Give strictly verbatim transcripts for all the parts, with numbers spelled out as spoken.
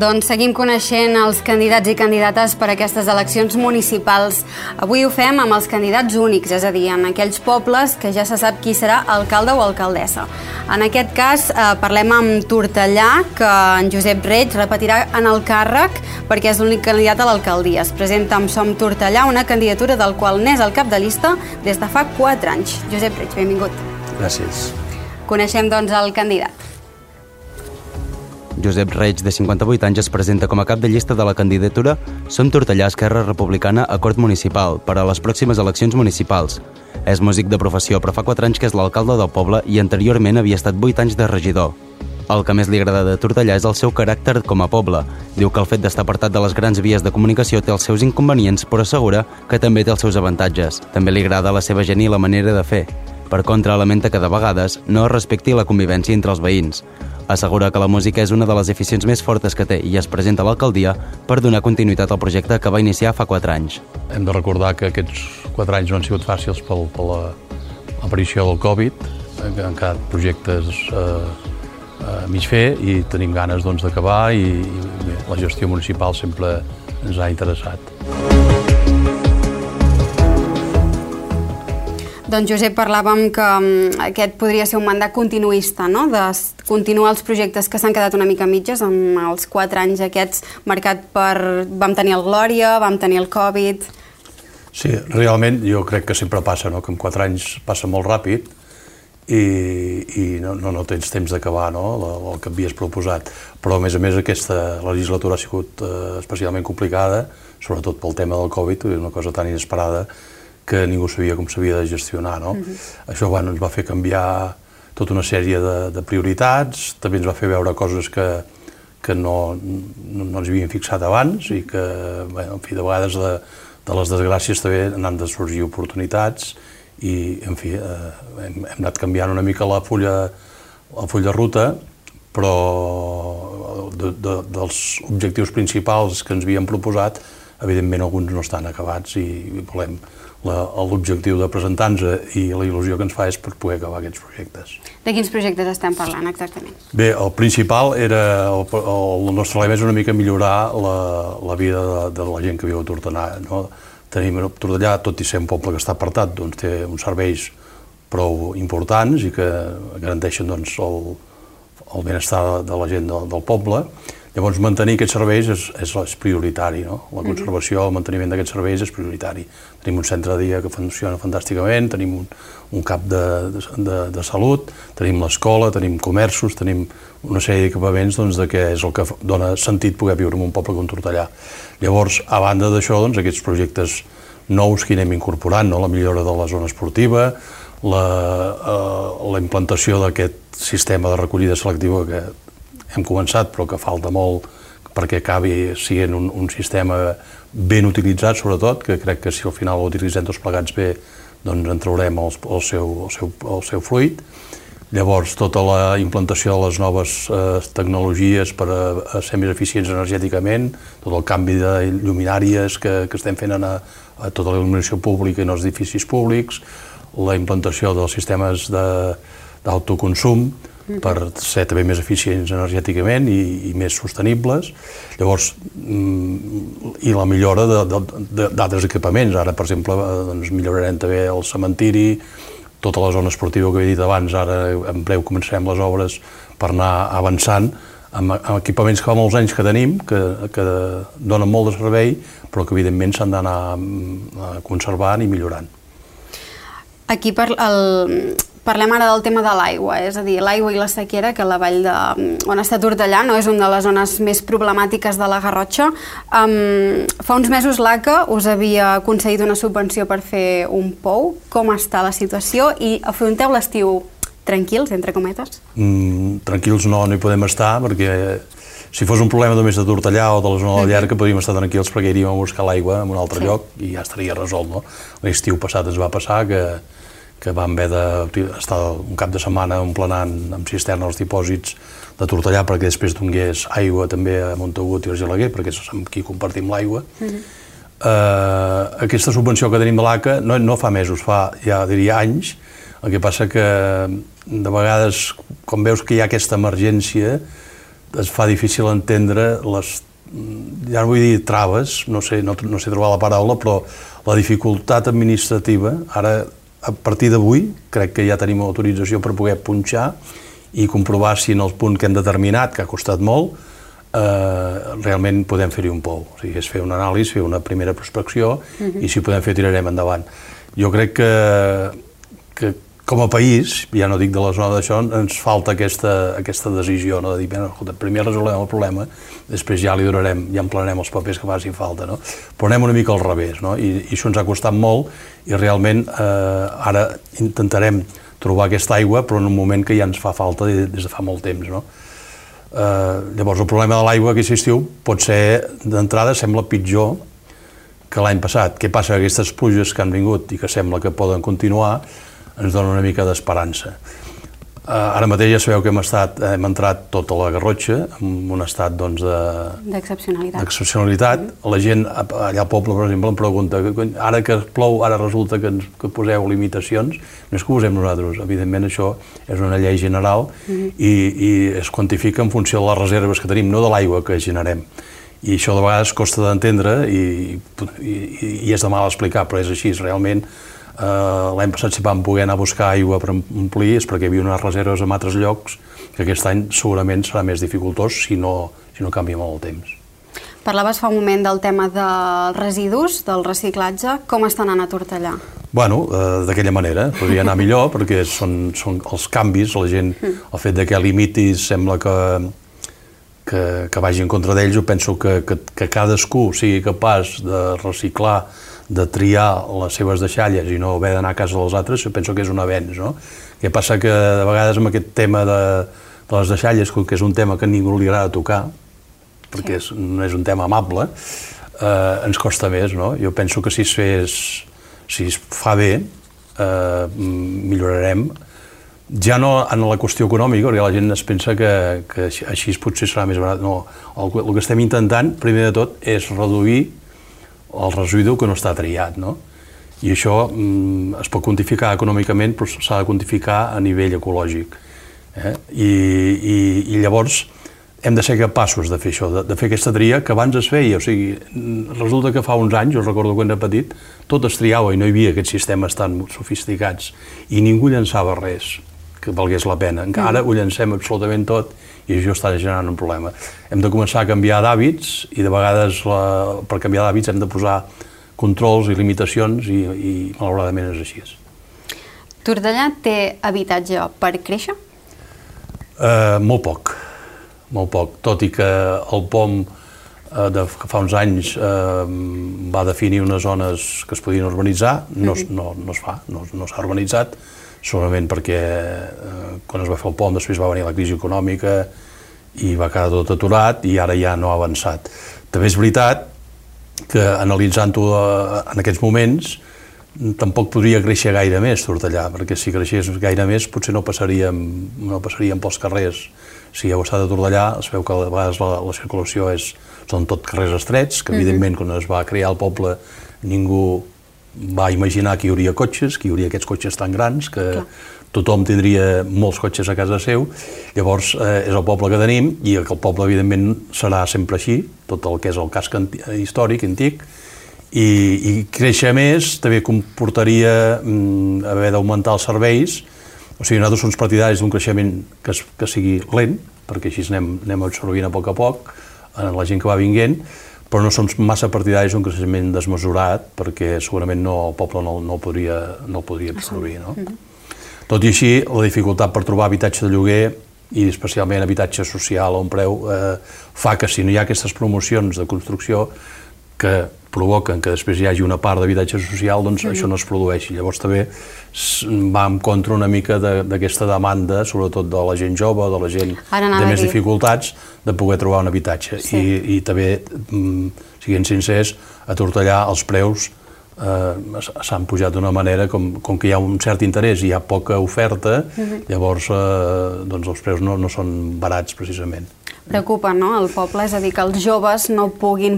Doncs seguim coneixent els candidats i candidates per a aquestes eleccions municipals. Avui ho fem amb els candidats únics, és a dir, en aquells pobles que ja se sap qui serà alcalde o alcaldessa. En aquest cas eh, parlem amb Tortellà, que en Josep Reig repetirà en el càrrec perquè és l'únic candidat a l'alcaldia. Es presenta amb Som Tortellà, una candidatura del qual n'és el cap de llista des de fa quatre anys. Josep Reig, benvingut. Gràcies. Coneixem, doncs, el candidat. Josep Reig, de cinquanta-vuit anys, es presenta com a cap de llista de la candidatura Som Tortellà, Esquerra Republicana, Acord Municipal, per a les pròximes eleccions municipals. És músic de professió, però fa quatre anys que és l'alcalde del poble i anteriorment havia estat vuit anys de regidor. El que més li agrada de Tortellà és el seu caràcter com a poble. Diu que el fet d'estar apartat de les grans vies de comunicació té els seus inconvenients, però assegura que també té els seus avantatges. També li agrada la seva gent i la manera de fer. Per contra, lamenta que de vegades no es respecti la convivència entre els veïns. Assegura que la música és una de les aficions més fortes que té i es presenta a l'alcaldia per donar continuïtat al projecte que va iniciar fa quatre anys. Hem de recordar que aquests quatre anys no han sigut fàcils per l'aparició del Covid, han quedat projectes eh, a mig fer i tenim ganes doncs, d'acabar i, i bé, la gestió municipal sempre ens ha interessat. Doncs, Josep, parlàvem que aquest podria ser un mandat continuista, no? De continuar els projectes que s'han quedat una mica mitges amb els quatre anys aquests marcat per... Vam tenir el Glòria, vam tenir el Covid... Sí, realment jo crec que sempre passa, no? Que en quatre anys passa molt ràpid i, i no, no, no tens temps d'acabar, no? El que havies proposat. Però, a més a més, aquesta legislatura ha sigut eh, especialment complicada, sobretot pel tema del Covid, és una cosa tan inesperada que ningú sabia com s'havia de gestionar, no? Uh-huh. Això, bueno, ens va fer canviar tota una sèrie de, de prioritats, també ens va fer veure coses que, que no, no, no ens havíem fixat abans i que, bueno, en fi, de vegades de, de les desgràcies també n'han de sorgir oportunitats i, en fi, eh, hem, hem anat canviant una mica la fulla, el full de ruta, però de, de, dels objectius principals que ens havíem proposat, evidentment alguns no estan acabats i volem l'objectiu de presentar-nos i la il·lusió que ens fa és per poder acabar aquests projectes. De quins projectes estem parlant exactament? Bé, el principal era, el, el nostre lema és una mica millorar la, la vida de, de la gent que viu a Tortellà, no? Tenim a Tortellà, tot i ser un poble que està apartat, doncs té uns serveis prou importants i que garanteixen doncs, el, el benestar de, de la gent del, del poble. Llavors, mantenir aquests serveis és, és, és prioritari, no? La conservació, el manteniment d'aquests serveis és prioritari. Tenim un centre de dia que funciona fantàsticament, tenim un, un cap de, de, de salut, tenim l'escola, tenim comerços, tenim una sèrie d'equipaments doncs, de que és el que dona sentit poder viure en un poble com Tortellà. Llavors, a banda d'això, doncs, aquests projectes nous que anem incorporant, no? La millora de la zona esportiva, la, eh, la implantació d'aquest sistema de recollida selectiva que hem començat, però que falta molt perquè acabi sent un, un sistema ben utilitzat, sobretot, que crec que si al final ho utilitzem tots plegats bé, doncs en traurem el, el, seu, el, seu, el seu fruit. Llavors, tota la implantació de les noves eh, tecnologies per a, a ser més eficients energèticament, tot el canvi de lluminàries que, que estem fent a, a tota la il·luminació pública i en els edificis públics, la implantació dels sistemes d'autoconsum, per ser també més eficients energèticament i, i més sostenibles. Llavors, i la millora d'altres equipaments. Ara, per exemple, doncs, millorarem també el cementiri, tota la zona esportiva que he dit abans, ara en breu començarem les obres per anar avançant amb, amb equipaments que fa molts anys que tenim, que, que donen molt de servei, però que evidentment s'han d'anar conservant i millorant. Aquí per el... Parlem ara del tema de l'aigua, és a dir, l'aigua i la sequera, que la vall de, on està Tortellà no és una de les zones més problemàtiques de la Garrotxa. Um, fa uns mesos l'A C A us havia concedit una subvenció per fer un pou. Com està la situació i afronteu l'estiu tranquils, entre cometes? Mm, tranquils no, no hi podem estar, perquè si fos un problema només de Tortellà o de la zona de la Llarga podríem estar tranquils perquè iríem a buscar l'aigua en un altre sí. lloc i ja estaria resolt, no? L'estiu passat ens va passar que que vam haver d'estar un cap de setmana emplenant amb cisterna els dipòsits de Tortellà perquè després donés aigua també a Montagut i Argelaguer, perquè és amb qui compartim l'aigua. Uh-huh. uh, aquesta subvenció que tenim de l'A C A no, no fa mesos, fa ja diria anys. El que passa que de vegades, quan veus que hi ha aquesta emergència, es fa difícil entendre les, ja no vull dir traves, no sé, no, no sé trobar la paraula, però la dificultat administrativa, ara a partir d'avui crec que ja tenim autorització per poder punxar i comprovar si en el punt que hem determinat, que ha costat molt, eh, realment podem fer-hi un pou. O sigui, és fer una anàlisi, fer una primera prospecció uh-huh. i si podem fer tirarem endavant. Jo crec que, que com a país, ja no dic de la zona d'això, ens falta aquesta, aquesta decisió, no? De dir, bueno, escolta, primer resolem el problema, després ja li donarem, ja emplenarem els papers que facin falta, no? Però anem una mica al revés, no? I, i això ens ha costat molt i realment eh, ara intentarem trobar aquesta aigua, però en un moment que ja ens fa falta des de fa molt temps, no? Eh, llavors, el problema de l'aigua aquest estiu pot ser, d'entrada, sembla pitjor que l'any passat. Què passa? Aquestes pluges que han vingut i que sembla que poden continuar ens dona una mica d'esperança. Uh, ara mateix ja sabeu que hem, estat, hem entrat tota la Garrotxa en un estat doncs, d'excepcionalitat. D'excepcionalitat. Mm. La gent allà al poble, per exemple, em pregunta ara que plou, ara resulta que, ens, que poseu limitacions. No és que ho posem nosaltres, evidentment això és una llei general mm. i, i es quantifica en funció de les reserves que tenim, no de l'aigua que generem. I això de vegades costa d'entendre i, i, i és de mal explicar, però és així, realment. Uh, l'any passat si vam poder anar a buscar aigua per omplir és perquè hi havia unes reserves en altres llocs que aquest any segurament serà més dificultós si no, si no canvia molt el temps. Parlaves fa un moment del tema dels residus, del reciclatge. Com està anant a Tortellà? Bueno, uh, d'aquella manera. Podria anar millor perquè són, són els canvis, la gent, el fet de que limitis sembla que, que, que vagi en contra d'ells. Jo penso que, que, que cadascú sigui capaç de reciclar, de triar les seves deixalles i no haver d'anar a casa dels altres, jo penso que és un avenç, no? Què passa que de vegades amb aquest tema de, de les deixalles, que és un tema que a ningú li agrada tocar, perquè és, no és un tema amable, eh, ens costa més, no? Jo penso que si es fes, si es fa bé, eh, millorarem, ja no en la qüestió econòmica, perquè la gent es pensa que, que així potser serà més barat, no. El, el que estem intentant, primer de tot, és reduir el residu que no està triat, no? I això mm, es pot quantificar econòmicament, però s'ha de quantificar a nivell ecològic. Eh? I, i, I llavors hem de ser capaços de fer això, de, de fer aquesta tria que abans es feia. O sigui, resulta que fa uns anys, jo recordo quan era petit, tot es triava i no hi havia aquests sistemes tan sofisticats i ningú llançava res que valgués la pena. Encara ho llancem absolutament tot i això està generant un problema. Hem de començar a canviar d'hàbits i de vegades la, per canviar d'hàbits hem de posar controls i limitacions i, i malauradament és així. Tortellà té habitatge per créixer? Uh, molt poc, molt poc. Tot i que el P O M uh, de, que fa uns anys uh, va definir unes zones que es podien urbanitzar, no, mm-hmm. no, no es fa, no, no s'ha urbanitzat, segurament perquè eh, quan es va fer el pont després va venir la crisi econòmica i va quedar tot aturat i ara ja no ha avançat. També és veritat que analitzant-ho en aquests moments tampoc podria créixer gaire més Tortellà, perquè si creixés gaire més potser no passaríem, no passaríem pels carrers. Si heu estat a Tortellà es veu que a vegades la, la circulació és, són tot carrers estrets, que evidentment quan es va crear el poble ningú va imaginar que hi hauria cotxes, que hi hauria aquests cotxes tan grans, que Clar. Tothom tindria molts cotxes a casa seu. Llavors, eh, és el poble que tenim i el poble, evidentment, serà sempre així, tot el que és el casc històric, antic, i, i créixer més també comportaria mm, haver d'augmentar els serveis. O sigui, nosaltres som partidaris d'un creixement que, es, que sigui lent, perquè així anem, anem absorbint a poc a poc en la gent que va vinguent, però no som massa partidaris d'un creixement desmesurat, perquè segurament no, el poble no, no, podria, no el podria absorbir. No? Mm-hmm. Tot i així, la dificultat per trobar habitatge de lloguer, i especialment habitatge social a un preu, eh, fa que si no hi ha aquestes promocions de construcció que provoquen que després hi hagi una part d'habitatge social, doncs mm-hmm. això no es produeixi. Llavors també va en contra una mica d'aquesta de, demanda, sobretot de la gent jove, de la gent de més dificultats, de poder trobar un habitatge. Sí. I, I també, siguent sincers, a Tortellà els preus eh, s'han pujat d'una manera com, com que hi ha un cert interès i hi ha poca oferta, mm-hmm. llavors eh, doncs els preus no, no són barats precisament. Preocupa, no?, el poble, és a dir, que els joves no puguin,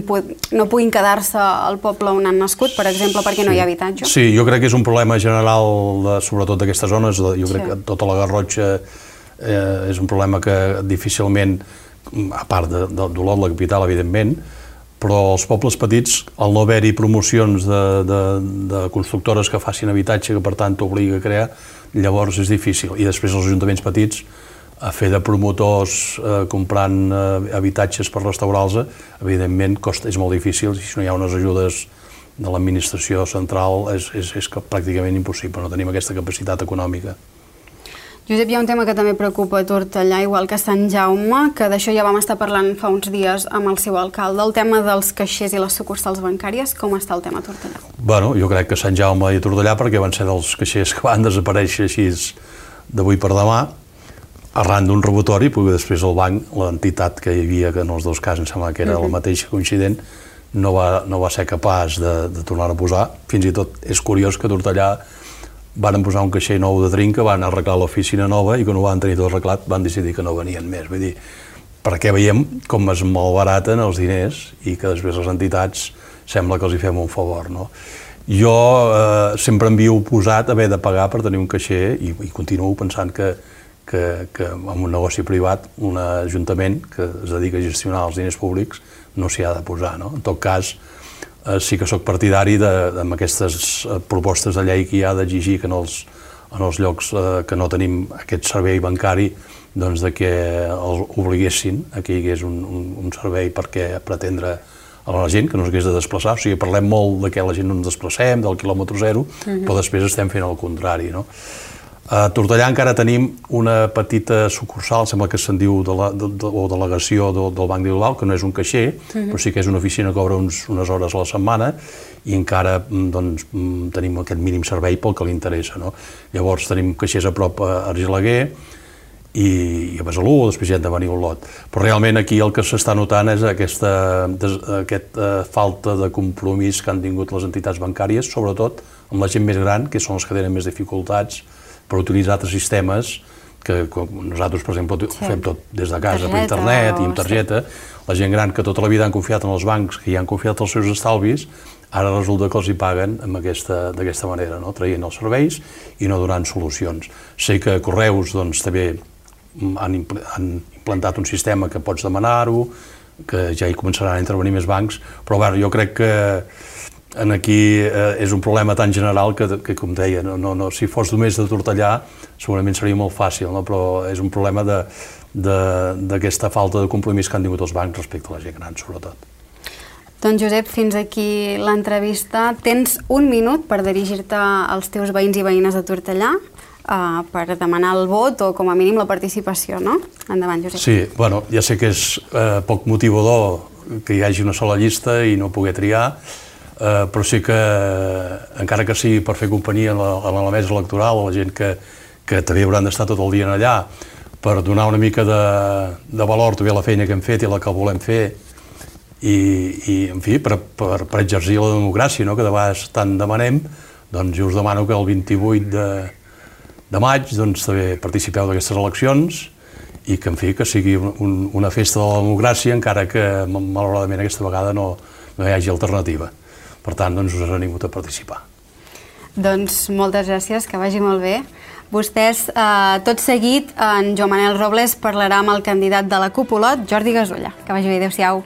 no puguin quedar-se al poble on han nascut, per exemple, perquè sí. no hi ha habitatge. Sí, jo crec que és un problema general, de, sobretot d'aquestes zones, jo crec sí. que tota la Garrotxa eh, és un problema que difícilment a part de, de, d'Olot, la capital, evidentment, però els pobles petits, al no haver-hi promocions de, de, de constructores que facin habitatge, que per tant t'obliga a crear, llavors és difícil. I després els ajuntaments petits, a fer de promotors eh, comprant eh, habitatges per restaurar-los, evidentment costa, és molt difícil, i si no hi ha unes ajudes de l'administració central és, és, és pràcticament impossible, no tenim aquesta capacitat econòmica. Josep, hi ha un tema que també preocupa a Tortellà, igual que a Sant Jaume, que d'això ja vam estar parlant fa uns dies amb el seu alcalde, el tema dels caixers i les sucursals bancàries. Com està el tema a Tortellà? Bueno, jo crec que Sant Jaume i Tortellà, perquè van ser dels caixers que van desaparèixer així d'avui per demà, arran d'un robatori, perquè després el banc, l'entitat que hi havia, que en els dos casos em sembla que era la mateixa coincident, no va, no va ser capaç de, de tornar a posar. Fins i tot és curiós que a Tortellà van posar un caixer nou de trinca, van arreglar l'oficina nova i quan ho van tenir tot arreglat van decidir que no venien més. Vull dir, perquè veiem com es malbaraten els diners i que després les entitats sembla que els hi fem un favor, no? Jo eh, sempre em havia oposat a haver de pagar per tenir un caixer i, i continuo pensant que, que, que en un negoci privat, un ajuntament que es dedica a gestionar els diners públics no s'hi ha de posar, no? En tot cas, eh, sí que sóc partidari de, de, amb aquestes propostes de llei que hi ha d'exigir que en els, en els llocs eh, que no tenim aquest servei bancari, doncs de que els obliguessin a que hi hagués un, un, un servei perquè pretendre a la gent que no s'hagués de desplaçar. O sigui, parlem molt de que la gent no ens desplacem, del quilòmetre zero, uh-huh. però després estem fent el contrari, no? A Tortellà encara tenim una petita sucursal, sembla que se'n diu de la, de, de, o delegació de, del Banc de Bilbao, que no és un caixer, uh-huh. però sí que és una oficina que obre uns, unes hores a la setmana i encara doncs, tenim aquest mínim servei pel que li interessa, no? Llavors tenim caixers a prop a Argelaguer i, i a Besalú, després ja hem de venir a Olot. Però realment aquí el que s'està notant és aquesta, des, aquesta falta de compromís que han tingut les entitats bancàries, sobretot amb la gent més gran, que són les que tenen més dificultats per utilitzar altres sistemes que nosaltres, per exemple, sí. fem tot des de casa, targeta, per internet i amb targeta. La gent gran que tota la vida han confiat en els bancs, que hi han confiat els seus estalvis, ara resulta que els hi paguen d'aquesta manera, no? Traient els serveis i no donant solucions. Sé que Correus doncs, també han, impl han implantat un sistema que pots demanar-ho, que ja hi començaran a intervenir més bancs, però bueno, jo crec que en aquí eh, és un problema tan general que, que com deia, no, no, no, si fos només de Tortellà segurament seria molt fàcil, no? Però és un problema d'aquesta falta de compromís que han tingut els bancs respecte a la gent gran, sobretot. Doncs Josep, fins aquí l'entrevista. Tens un minut per dirigir-te als teus veïns i veïnes de Tortellà eh, per demanar el vot o com a mínim la participació, no? Endavant, Josep. Sí, bueno, ja sé que és eh, poc motivador que hi hagi una sola llista i no poder triar, Uh, però sí que, encara que sigui per fer companyia a la, a la mesa electoral, a la gent que, que també hauran d'estar tot el dia allà, per donar una mica de, de valor també a la feina que hem fet i la que volem fer, i, i en fi, per, per, per exercir la democràcia, no?, que de vegades tant demanem, doncs jo us demano que el vint-i-vuit de, de maig doncs, també participeu d'aquestes eleccions i que, en fi, que sigui un, una festa de la democràcia, encara que, malauradament, aquesta vegada no, no hi hagi alternativa. Per tant, doncs, us animo a participar. Doncs moltes gràcies, que vagi molt bé. Vostès, eh, tot seguit, en Joan Manel Robles parlarà amb el candidat de la CUP Olot, Jordi Gasulla. Que vagi bé, adéu-siau.